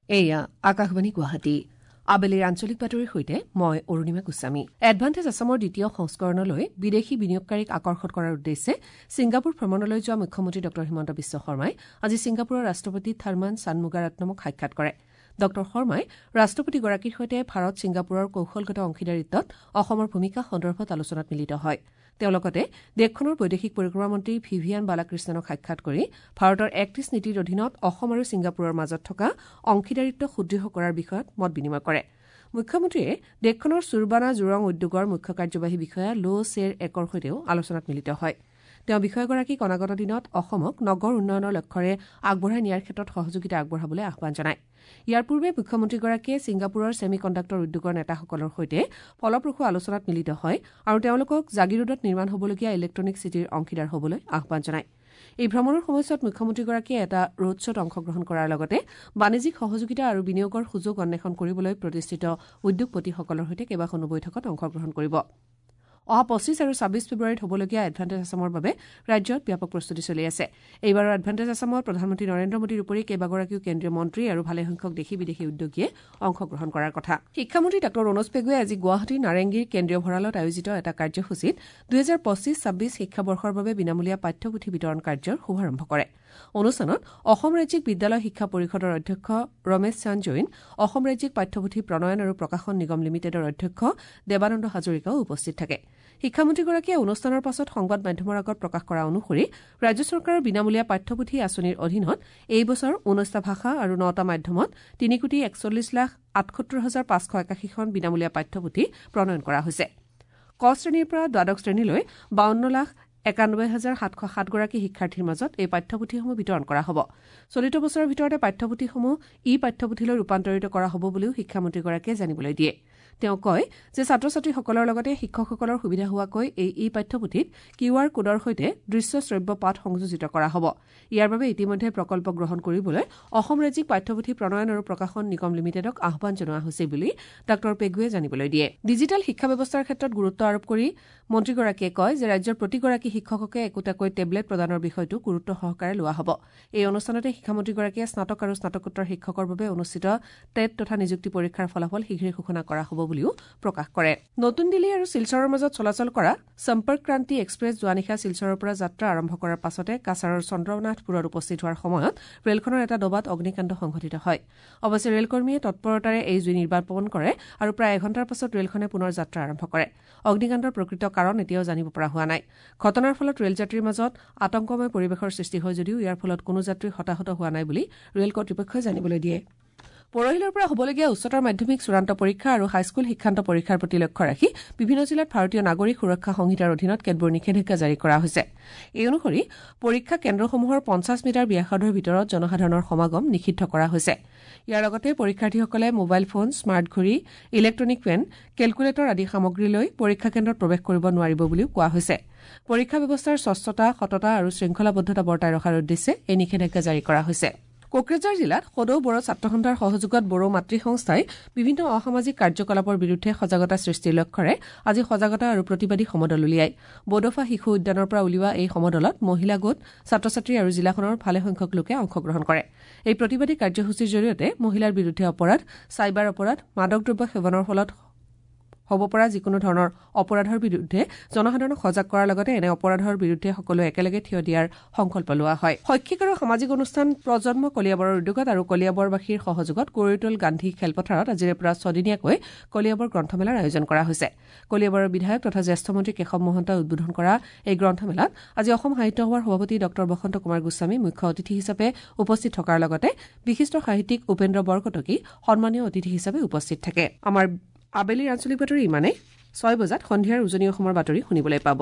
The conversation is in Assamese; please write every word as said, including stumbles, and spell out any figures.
এয়া আকাশবাণী গুৱাহাটী। আবেলিৰ আঞ্চলিক বাতৰিৰ সৈতে মই অৰুণিমা গোস্বামী। এডভান্টেজ আছামৰ দ্বিতীয় সংস্কৰণলৈ বিদেশী বিনিয়োগকাৰীক আকৰ্ষণ কৰাৰ উদ্দেশ্যে ছিংগাপুৰ ভ্ৰমণলৈ যোৱা মুখ্যমন্ত্ৰী ডঃ হিমন্ত বিশ্ব শৰ্মাই আজি ছিংগাপুৰৰ ৰাষ্ট্ৰপতি থাৰ্মান ছানমুগাৰত্নমক সাক্ষাৎ কৰে। ডঃ শৰ্মাই ৰাষ্ট্ৰপতিগৰাকীৰ সৈতে ভাৰত ছিংগাপুৰৰ কৌশলগত অংশীদাৰিত্বত অসমৰ ভূমিকা সন্দৰ্ভত আলোচনাত মিলিত হয়। তেওঁ লগতে দেশখনৰ বৈদেশিক পৰিক্ৰমা মন্ত্ৰী ভিভিয়ান বালাকৃষ্ণনক সাক্ষাৎ কৰি ভাৰতৰ এক্ট ইষ্ট নীতিৰ অধীনত অসম আৰু ছিংগাপুৰৰ মাজত থকা অংশীদাৰিত্ব সুদৃঢ় কৰাৰ বিষয়ত মত বিনিময় কৰে। মুখ্যমন্ত্ৰীয়ে দেশখনৰ চুৰবানা জুৰং উদ্যোগৰ মুখ্য কাৰ্যবাহী বিষয়া লো চেৰ একৰ সৈতেও আলোচনাত মিলিত হয়। তেওঁ বিষয়াগৰাকীক অনাগত দিনত অসমক নগৰ উন্নয়নৰ লক্ষ্যৰে আগবঢ়াই নিয়াৰ ক্ষেত্ৰত সহযোগিতা আগবঢ়াবলৈ আহ্বান জনায়। ইয়াৰ পূৰ্বে মুখ্যমন্ত্ৰীগৰাকীয়ে ছিংগাপুৰৰ ছেমি কণ্ডাক্টৰ উদ্যোগৰ নেতাসকলৰ সৈতে ফলপ্ৰসূ আলোচনাত মিলিত হয় আৰু তেওঁলোকক জাগিৰোডত নিৰ্মাণ হ'বলগীয়া ইলেক্ট্ৰনিক চিটিৰ অংশীদাৰ হ'বলৈ আহ্বান জনায়। এই ভ্ৰমণৰ সময়ছোৱাত মুখ্যমন্ত্ৰীগৰাকীয়ে এটা ৰোড শ্বত অংশগ্ৰহণ কৰাৰ লগতে বাণিজ্যিক সহযোগিতা আৰু বিনিয়োগৰ সুযোগ অন্বেষণ কৰিবলৈ প্ৰতিষ্ঠিত উদ্যোগপতিসকলৰ সৈতে কেইবাখনো বৈঠকত অংশগ্ৰহণ কৰিব। অহা পঁচিছ আৰু ছাব্বিছ ফেব্ৰুৱাৰীত হ'বলগীয়া এডভান্টেজ আছামৰ বাবে ৰাজ্যত ব্যাপক প্ৰস্তুতি চলি আছে। এইবাৰৰ এডভান্টেজ আছামত প্ৰধানমন্ত্ৰী নৰেন্দ্ৰ মোদীৰ উপৰি কেইবাগৰাকীও কেন্দ্ৰীয় মন্ত্ৰী আৰু ভালেসংখ্যক দেশী বিদেশী উদ্যোগীয়ে অংশগ্ৰহণ কৰাৰ কথা। শিক্ষামন্ত্ৰী ডাঃ ৰণোজ পেগুৱে আজি গুৱাহাটীৰ নাৰেংগীৰ কেন্দ্ৰীয় ভঁৰালত আয়োজিত এটা কাৰ্যসূচীত দুহেজাৰ পঁচিছ ছাব্বিছ শিক্ষাবৰ্ষৰ বাবে বিনামূলীয়া পাঠ্যপুথি বিতৰণ কাৰ্যৰ শুভাৰম্ভ কৰে। অনুষ্ঠানত অসম ৰাজ্যিক বিদ্যালয় শিক্ষা পৰিষদৰ অধ্যক্ষ ৰমেশ চান্দ জৈন, অসম ৰাজ্যিক পাঠ্যপুথি প্ৰণয়ন আৰু প্ৰকাশন নিগম লিমিটেডৰ অধ্যক্ষ দেৱানন্দ হাজৰিকাও উপস্থিত থাকে। শিক্ষামন্ত্ৰীগৰাকীয়ে অনুষ্ঠানৰ পাছত সংবাদ মাধ্যমৰ আগত প্ৰকাশ কৰা অনুসৰি ৰাজ্য চৰকাৰৰ বিনামূলীয়া পাঠ্যপুথি আঁচনিৰ অধীনত এই বছৰ ঊনৈছটা ভাষা আৰু নটা মাধ্যমত তিনি কোটি একচল্লিছ লাখ আঠসত্তৰ হাজাৰ পাঁচশ একাশীখন বিনামূলীয়া পাঠ্যপুথি প্ৰণয়ন কৰা হৈছে। ক শ্ৰেণীৰ পৰা দ্বাদশ শ্ৰেণীলৈ বাৱন্ন লাখ একানব্বৈ হাজাৰ সাতশ সাতগৰাকী শিক্ষাৰ্থীৰ মাজত এই পাঠ্যপুথিসমূহ বিতৰণ কৰা হ'ব। চলিত বছৰৰ ভিতৰতে পাঠ্যপুথিসমূহ ই পাঠ্যপুথিলৈ ৰূপান্তৰিত কৰা হ'ব বুলিও শিক্ষামন্ত্ৰীগৰাকীয়ে জানিবলৈ দিয়ে। তেওঁ কয় যে ছাত্ৰ ছাত্ৰীসকলৰ লগতে শিক্ষকসকলৰ সুবিধা হোৱাকৈ এই ই পাঠ্যপুথিত কিউ আৰ কোডৰ সৈতে দৃশ্য শ্ৰব্য পাঠ সংযোজিত কৰা হ'ব। ইয়াৰ বাবে ইতিমধ্যে প্ৰকল্প গ্ৰহণ কৰিবলৈ অসম ৰাজ্যিক পাঠ্যপুথি প্ৰণয়ন আৰু প্ৰকাশন নিগম লিমিটেডক আহ্বান জনোৱা হৈছে বুলি ডাঃ পেগুৱে জানিবলৈ দিয়ে। ডিজিটেল শিক্ষা ব্যৱস্থাৰ ক্ষেত্ৰত গুৰুত্ব আৰোপ কৰি মন্ত্ৰীগৰাকীয়ে কয় যে ৰাজ্যৰ প্ৰতিগৰাকী শিক্ষককে একোটাকৈ টেবলেট প্ৰদানৰ বিষয়টো গুৰুত্ব সহকাৰে লোৱা হ'ব। এই অনুষ্ঠানতে শিক্ষামন্ত্ৰীগৰাকীয়ে স্নাতক আৰু স্নাতকোত্তৰ শিক্ষকৰ বাবে অনুষ্ঠিত টেট তথা নিযুক্তি পৰীক্ষাৰ ফলাফল শীঘ্ৰে ঘোষণা কৰা হ'ব বুলিও প্ৰকাশ কৰে। নতুন দিল্লী আৰু শিলচৰৰ মাজত চলাচল কৰা সম্পৰ্ক ক্ৰান্তি এক্সপ্ৰেছ যোৱা নিশা শিলচৰৰ পৰা যাত্ৰা আৰম্ভ কৰাৰ পাছতে কাছাৰৰ চন্দ্ৰনাথপুৰত উপস্থিত হোৱাৰ সময়ত ৰেলখনৰ এটা ডবাত অগ্নিকাণ্ড সংঘটিত হয়। অৱশ্যে ৰেলকৰ্মীয়ে তৎপৰতাৰে এই জুই নিৰ্বাপন কৰে আৰু প্ৰায় এঘণ্টাৰ পাছত ৰেলখনে পুনৰ যাত্ৰা আৰম্ভ কৰে। অগ্নিকাণ্ডৰ প্ৰকৃত কাৰণ এতিয়াও জানিব পৰা হোৱা নাই। ঘটনাৰ ফলত ৰেলযাত্ৰীৰ মাজত আতংকময় পৰিৱেশৰ সৃষ্টি হয় যদিও ইয়াৰ ফলত কোনো যাত্ৰী হতাহত হোৱা নাই বুলি ৰেল কৰ্তৃপক্ষই জানিবলৈ দিয়ে। পৰহিলৰ পৰা হ'বলগীয়া উচ্চতৰ মাধ্যমিক চূড়ান্ত পৰীক্ষা আৰু হাইস্কুল শিক্ষান্ত পৰীক্ষাৰ প্ৰতি লক্ষ্য ৰাখি বিভিন্ন জিলাত ভাৰতীয় নাগৰিক সুৰক্ষা সংহিতাৰ অধীনত কেতবোৰ নিষেধাজ্ঞা জাৰি কৰা হৈছে। এই অনুসৰি পৰীক্ষা কেন্দ্ৰসমূহৰ পঞ্চাছ মিটাৰ ব্যাসাৰ্ধৰ ভিতৰত জনসাধাৰণৰ সমাগম নিষিদ্ধ কৰা হৈছে। ইয়াৰ লগতে পৰীক্ষাৰ্থীসকলে মোবাইল ফোন, স্মাৰ্ট ঘড়ী, ইলেক্ট্ৰনিক পেন, কেলকুলেটৰ আদি সামগ্ৰী লৈ পৰীক্ষা কেন্দ্ৰত প্ৰৱেশ কৰিব নোৱাৰিব বুলিও কোৱা হৈছে। পৰীক্ষা ব্যৱস্থাৰ স্বচ্ছতা, সততা আৰু শৃংখলাবদ্ধতা বৰ্তাই ৰখাৰ উদ্দেশ্যে এই নিষেধাজ্ঞা জাৰি কৰা হৈছে। কোকৰাঝাৰ জিলাত সদৌ বড়ো ছাত্ৰ সন্থাৰ সহযোগত বড়ো মাতৃ সংস্থাই বিভিন্ন অসামাজিক কাৰ্যকলাপৰ বিৰুদ্ধে সজাগতা সৃষ্টিৰ লক্ষ্যৰে আজি সজাগতা আৰু প্ৰতিবাদী সমদল উলিয়ায়। বডোফা শিশু উদ্যানৰ পৰা উলিওৱা এই সমদলত মহিলা গোট, ছাত্ৰ ছাত্ৰী আৰু জিলাখনৰ ভালেসংখ্যক লোকে অংশগ্ৰহণ কৰে। এই প্ৰতিবাদী কাৰ্যসূচীৰ জৰিয়তে মহিলাৰ বিৰুদ্ধে অপৰাধ, চাইবাৰ অপৰাধ, মাদক দ্ৰব্য সেৱনৰ ফলত হ'ব পৰা যিকোনো ধৰণৰ অপৰাধৰ বিৰুদ্ধে জনসাধাৰণক সজাগ কৰাৰ লগতে এনে অপৰাধৰ বিৰুদ্ধে সকলোৱে একেলগে থিয় দিয়াৰ সংকল্প লোৱা হয়। শৈক্ষিক আৰু সামাজিক অনুষ্ঠান প্ৰজন্ম কলিয়াবৰৰ উদ্যোগত আৰু কলিয়াবৰবাসীৰ সহযোগত গৌৰীটোল গান্ধী খেলপথাৰত আজিৰে পৰা ছদিনীয়াকৈ কলিয়াবৰ গ্ৰন্থমেলাৰ আয়োজন কৰা হৈছে। কলিয়াবৰৰ বিধায়ক তথা জ্যেষ্ঠ মন্ত্ৰী কেশৱ মহন্তই উদ্বোধন কৰা এই গ্ৰন্থমেলাত আজি অসম সাহিত্য সভাৰ সভাপতি ডঃ বসন্ত কুমাৰ গোস্বামী মুখ্য অতিথি হিচাপে উপস্থিত থকাৰ লগতে বিশিষ্ট সাহিত্যিক উপেন্দ্ৰ বৰকটকী সন্মানীয় অতিথি হিচাপে উপস্থিত থাকে। আমাৰ আবেলিৰ আঞ্চলিক বাতৰি ইমানেই। ছয় বজাত সন্ধিয়াৰ উজনি অসমৰ বাতৰি শুনিবলৈ পাব।